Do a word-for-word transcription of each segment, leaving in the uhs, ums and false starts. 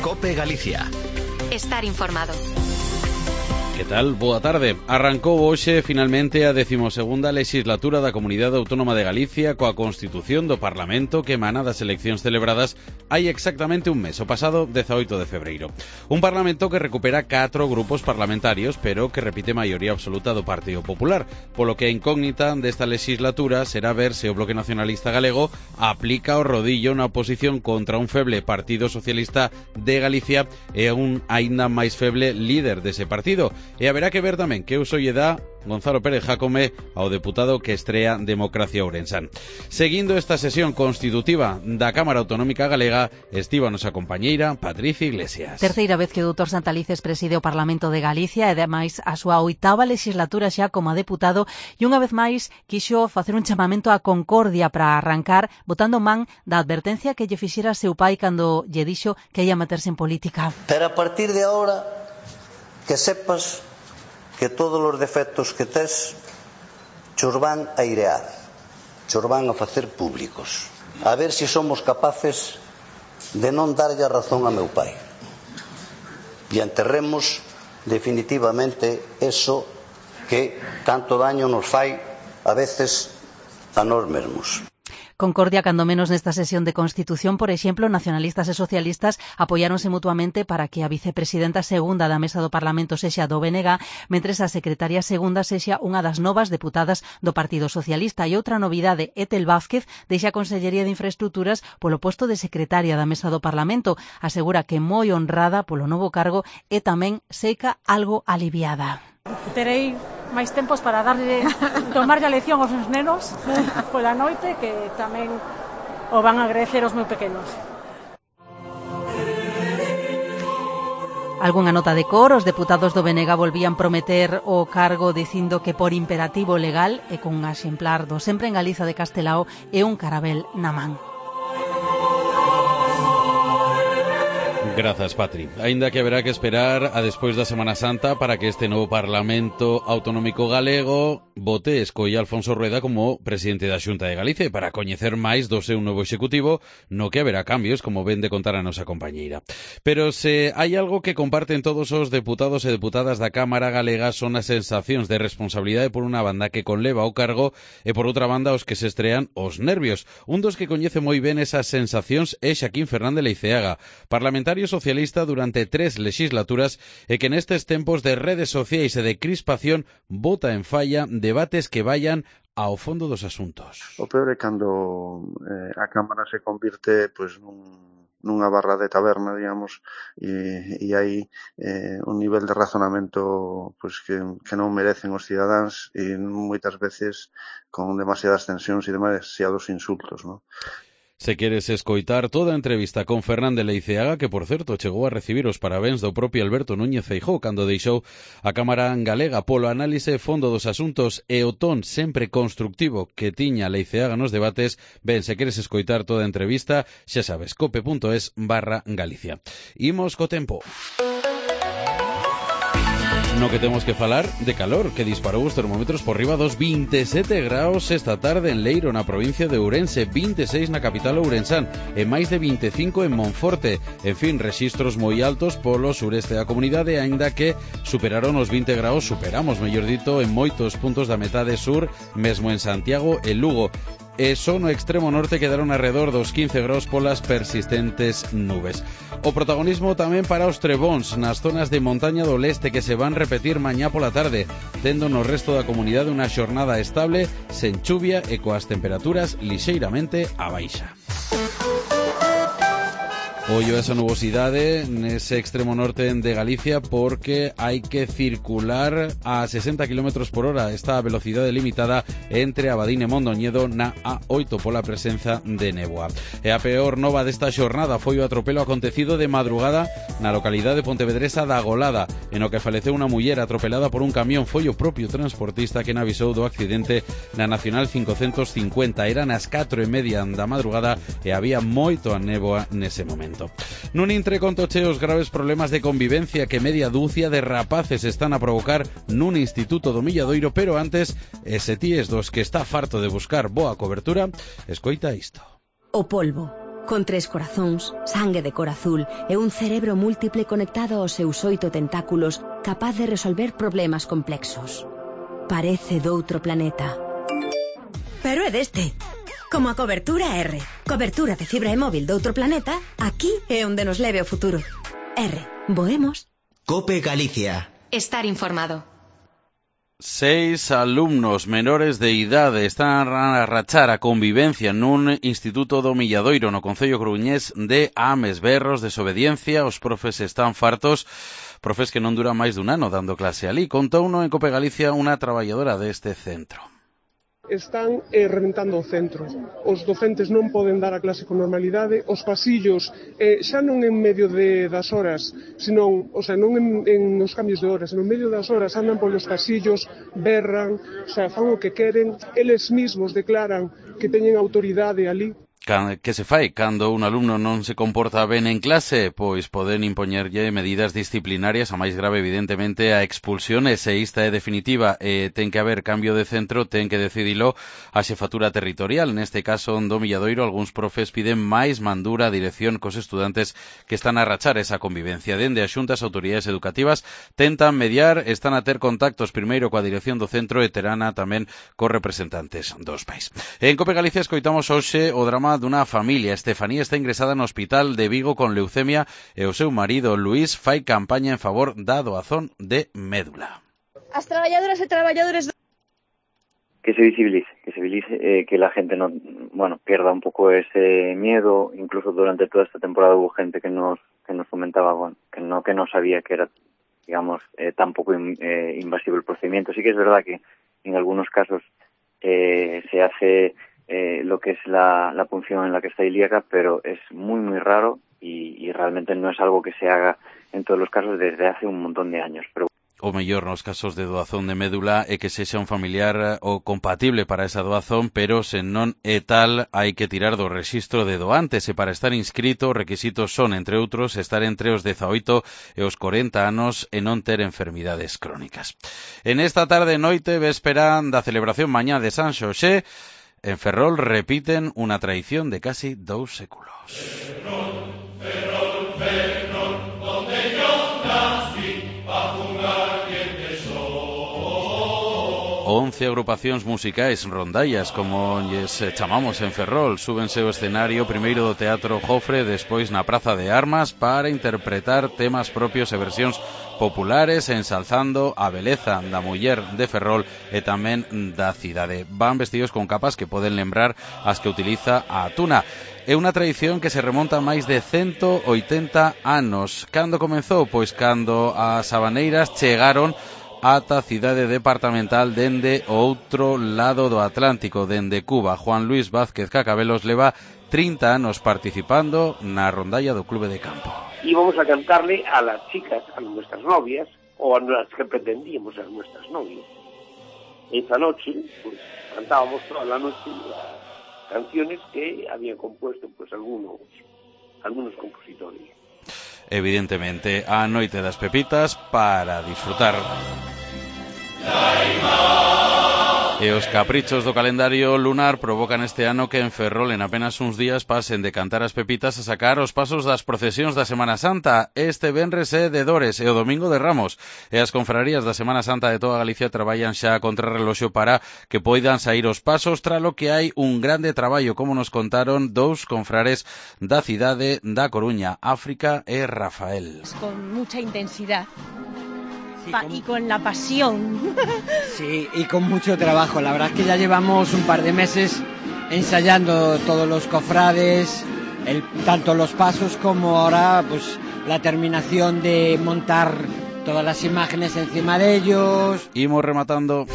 COPE Galicia. Estar informado. Que tal? Boa tarde. Arrancou hoxe finalmente a decimosegunda legislatura da Comunidade Autónoma de Galicia coa Constitución do Parlamento que emana das eleccións celebradas hai exactamente un mes, o pasado dezaoito de febreiro. Un Parlamento que recupera catro grupos parlamentarios, pero que repite maioría absoluta do Partido Popular, polo que a incógnita desta legislatura será ver se o Bloque Nacionalista Galego aplica o rodillo na oposición contra un feble Partido Socialista de Galicia e un aínda máis feble líder dese partido. E haberá que ver tamén que uso lle dá Gonzalo Pérez Jácome ao deputado que estrea Democracia Ourensán. Seguindo esta sesión constitutiva da Cámara Autonómica Galega, estivo a nosa compañeira Patricia Iglesias. Terceira vez que o doutor Santalices preside o Parlamento de Galicia e ademais a súa oitava legislatura xa como deputado e unha vez máis quixo facer un chamamento á concordia para arrancar botando man da advertencia que lle fixera seu pai cando lle dixo que ia meterse en política. Pero a partir de agora que sepas que todos os defectos que tes chos van a airear, chos van a facer públicos. A ver se somos capaces de non darlle a razón a meu pai. E enterremos definitivamente eso que tanto daño nos fai a veces a nós mesmos. Concordia cando menos nesta sesión de Constitución, por exemplo, nacionalistas e socialistas apoiáronse mutuamente para que a vicepresidenta segunda da Mesa do Parlamento sexa do B N G, mentres a secretaria segunda sexa unha das novas deputadas do Partido Socialista. E outra novidade, Etel Vázquez deixa a Consellería de Infraestructuras polo posto de secretaria da Mesa do Parlamento. Asegura que moi honrada polo novo cargo e tamén seca algo aliviada. Terei máis tempos para darlle tomarlle a lección aos meus nenos pola noite, que tamén o van a agradecer os meus pequenos. Algunha nota de cor, os deputados do B N G volvían prometer o cargo dicindo que por imperativo legal e con un exemplar do Sempre en Galiza de Castelao e un carabel na man. Grazas, Patri. Aínda que haberá que esperar a despois da Semana Santa para que este novo Parlamento Autonómico Galego vote e escolla Alfonso Rueda como presidente da Xunta de Galicia para coñecer máis do seu novo executivo, no que haberá cambios, como ven de contar a nosa compañeira. Pero se hai algo que comparten todos os deputados e deputadas da Cámara Galega son as sensacións de responsabilidade por unha banda que conleva o cargo e por outra banda os que se estrean os nervios. Un dos que coñece moi ben esas sensacións é Xaquín Fernández Leiceaga, parlamentario socialista durante tres legislaturas e que nestes tempos de redes sociais e de crispación bota en falla debates que vayan ao fondo dos asuntos. O peor é cando eh, a Cámara se convirte pois, nun, nunha barra de taberna, digamos, e, e hai eh, un nivel de razonamento pois, que, que non merecen os cidadáns e moitas veces con demasiadas tensións e demasiados insultos, non? Se queres escoitar toda a entrevista con Fernández Leiceaga, que por certo chegou a recibir os parabéns do propio Alberto Núñez Feijóo cando deixou a Cámara Galega polo análise fondo dos asuntos e o ton sempre constructivo que tiña Leiceaga nos debates, ben, se queres escoitar toda a entrevista, xa sabes, cope.es barra Galicia. Imos co tempo. No que temos que falar de calor, que disparou os termómetros por riba dos vinte e sete graus esta tarde en Leiro, na provincia de Ourense, vinte e seis na capital ourensán e máis de vinte e cinco en Monforte. En fin, rexistros moi altos polo sureste da comunidade, aínda que superaron os vinte graus, superamos, mellor dito, en moitos puntos da metade sur, mesmo en Santiago e Lugo. E só no extremo norte quedaron alrededor dos quince graus polas persistentes nubes. O protagonismo tamén para os trebóns nas zonas de montaña do leste que se van repetir mañá pola tarde, tendo no resto da comunidade unha xornada estable, sen chuvia e coas temperaturas lixeiramente a baixa. Ollo a esa nubosidade nese extremo norte de Galicia porque hai que circular a sesenta kilómetros por hora. Está a velocidade limitada entre Abadín e Mondoñedo na A oito pola presenza de néboa. E a peor nova desta xornada foi o atropelo acontecido de madrugada na localidade pontevedresa da Golada, en o que faleceu unha muller atropelada por un camión. Foi o propio transportista quen avisou do accidente na Nacional cincocentos cincuenta. Era nas catro e media da madrugada e había moito a néboa nese momento. Nun intre contoche os graves problemas de convivencia que media dúcia de rapaces están a provocar nun instituto do Milladoiro, pero antes, ese ti es dos que está farto de buscar boa cobertura, escoita isto. O polvo. con tres corazóns, sangue de cor azul e un cerebro múltiple conectado aos seus oito tentáculos, capaz de resolver problemas complexos. Parece doutro planeta. Pero é deste. Como a cobertura R. Cobertura de fibra e móvil doutro planeta, aquí é onde nos leve o futuro. R. Voemos. Cope Galicia. Estar informado. Seis alumnos menores de idade están a rachar a convivencia nun instituto do Milladoiro no concello coruñés de Ames. Berros, desobediencia, os profes están fartos, profes que non duran máis dun ano dando clase alí. Contouno en Cope Galicia unha traballadora deste centro. Están eh, reventando o centro. Os docentes non poden dar a clase con normalidade, os pasillos, eh, xa non en medio de, das horas, senón, o sea, non en, en os cambios de horas, senón en medio das horas andan polos pasillos, berran, o sea, fan o que queren, eles mismos declaran que teñen autoridade ali. Que se fai cando un alumno non se comporta ben en clase? Pois poden impoñerlle medidas disciplinarias, a máis grave evidentemente a expulsión, e se esta é definitiva e ten que haber cambio de centro, ten que decidilo a xefatura territorial. Neste caso, do Milladoiro, algúns profes piden máis mandura a dirección cos estudantes que están a rachar esa convivencia. Dende as xuntas autoridades educativas tentan mediar, están a ter contactos primeiro coa dirección do centro e terana tamén cos representantes dos pais. En Cope Galicia escoitamos hoxe o drama dunha familia. Estefanía está ingresada no hospital de Vigo con leucemia e o seu marido Luís fai campaña en favor da doazón de médula. As traballadoras e traballadores do... que se visibilice, que se visibilice, eh, que la gente no, bueno, pierda un poco ese miedo. Incluso durante toda esta temporada hubo gente que nos que nos comentaba, bueno, que no que no sabía que era, digamos, eh, tan poco in, eh, invasivo el procedimiento. Sí que es verdad que en algunos casos eh, se hace Eh, lo que es la, la punción en la que está ilíaca, pero es muy muy raro y, y realmente no es algo que se haga en todos los casos desde hace un montón de años. Pero o mellor nos casos de doazón de médula é que sexa un familiar o compatible para esa doazón, pero se non é tal, hai que tirar do rexistro de doantes, e para estar inscrito os requisitos son, entre outros, estar entre os dezaoito e os corenta anos e non ter enfermidades crónicas. En esta tarde e noite, véspera da celebración mañá de San Xoxé, en Ferrol repiten unha tradición de casi dous séculos. Ferrol, Ferrol, Ferrol, donde yo nací, pa jugar bien de sol. Once agrupacións musicais, rondallas, como lles chamamos en Ferrol, súbense ao escenario primeiro do Teatro Jofre, despois na Praza de Armas, para interpretar temas propios e versións populares, ensalzando a beleza da muller de Ferrol e tamén da cidade. Van vestidos con capas que poden lembrar as que utiliza a Tuna. É unha tradición que se remonta a máis de ciento oitenta anos. Cando comezou? Pois cando as habaneiras chegaron ata a cidade departamental dende o outro lado do Atlántico, dende Cuba. Juan Luis Vázquez Cacabelos leva trinta anos participando na rondalla do Clube de Campo. Íbamos a cantarle a las chicas, a nuestras novias, o a las que pretendíamos ser nuestras novias. Esa noche, pues, cantábamos toda la noche las canciones que habían compuesto, pues, algunos, algunos compositores. Evidentemente, a noite das pepitas para disfrutar. E os caprichos do calendario lunar provocan este ano que en Ferrol en apenas uns días pasen de cantar as pepitas a sacar os pasos das procesións da Semana Santa. Este venres é de Dores e o domingo de Ramos. E as confrarías da Semana Santa de toda Galicia traballan xa a contrarreloxo para que poidan sair os pasos, tralo que hai un grande traballo, como nos contaron dous confrares da cidade da Coruña, África e Rafael. Con mucha intensidad. Sí, Pa con... y con la pasión. Sí, y con mucho trabajo. La verdad es que ya llevamos un par de meses ensayando todos los cofrades, el, tanto los pasos como ahora pues la terminación de montar todas las imágenes encima de ellos. Imos rematando.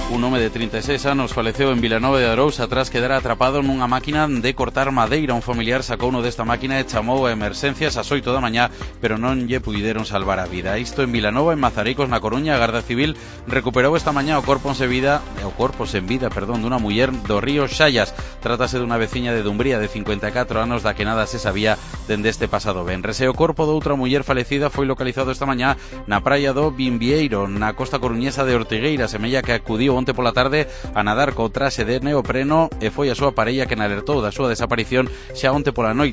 Un home de trinta e seis anos faleceu en Vilanova de Arousa tras quedar atrapado nunha máquina de cortar madeira. Un familiar sacou uno desta máquina e chamou a emerxencias ás oito da mañá, pero non lle puideron salvar a vida. Isto en Vilanova, en Mazaricos, na Coruña. A Garda Civil recuperou esta mañá o corpo sen vida, o corpo sen vida, perdón, dunha muller do río Xallas. Trátase dunha veciña de Dumbría de cincuenta e catro anos da que nada se sabía dende este pasado venres. E o corpo doutra muller falecida foi localizado esta mañá na praia do Bimbieiro, na costa coruñesa de Ortigueira. Semella que acudiu onte pola tarde a nadar co traxe de neopreno e foi a súa parella quen alertou da súa desaparición xa onte pola noite.